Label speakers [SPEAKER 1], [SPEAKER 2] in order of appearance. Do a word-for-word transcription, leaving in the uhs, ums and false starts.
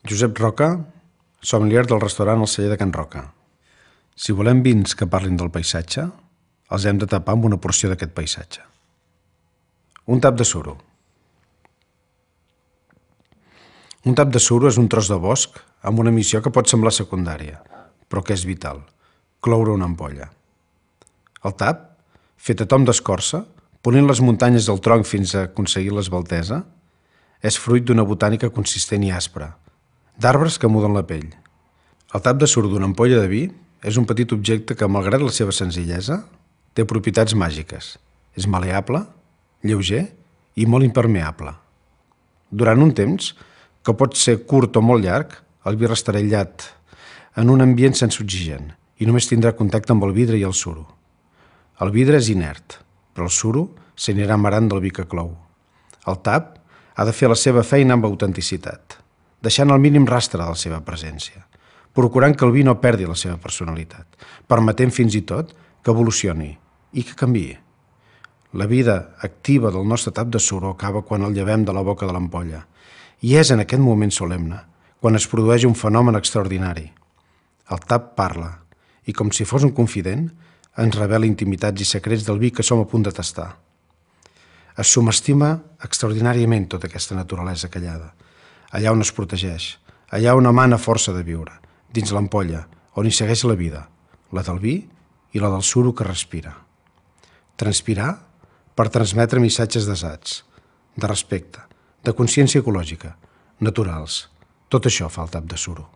[SPEAKER 1] Josep Roca, sommelier del restaurant El Celler de Can Roca. Si volem vins que parlin del paisatge, els hem de tapar amb una porció d'aquest paisatge. Un tap de suro. Un tap de suro és un tros de bosc amb una missió que pot semblar secundària, però que és vital: cloure una ampolla. El tap, fet a tom d'escorça, polint les muntanyes del tronc fins a aconseguir l'esbaltesa, és fruit d'una botànica consistent i aspra, d'arbres que muden la pell. El tap de suro d'una ampolla de vi és un petit objecte que, malgrat la seva senzillesa, té propietats màgiques. És maleable, lleuger i molt impermeable. Durant un temps, que pot ser curt o molt llarg, el vi restarà aïllat en un ambient sense oxigen i només tindrà contacte amb el vidre i el suro. El vidre és inert, però el suro s'anirà amarant del vi que clou. El tap ha de fer la seva feina amb autenticitat, deixant el mínim rastre de la seva presència, procurant que el vi no perdi la seva personalitat, permetent fins i tot que evolucioni i que canviï. La vida activa del nostre tap de suro acaba quan el llevem de la boca de l'ampolla, i és en aquest moment solemne quan es produeix un fenomen extraordinari. El tap parla, i com si fos un confident, ens revela intimitats i secrets del vi que som a punt de tastar. Es subestima extraordinàriament tota aquesta naturalesa callada, allà on es protegeix, allà on emana força de viure, dins l'ampolla, on hi segueix la vida, la del vi i la del suro que respira. Transpirar per transmetre missatges desats, de respecte, de consciència ecològica, naturals. Tot això fa el tap de suro.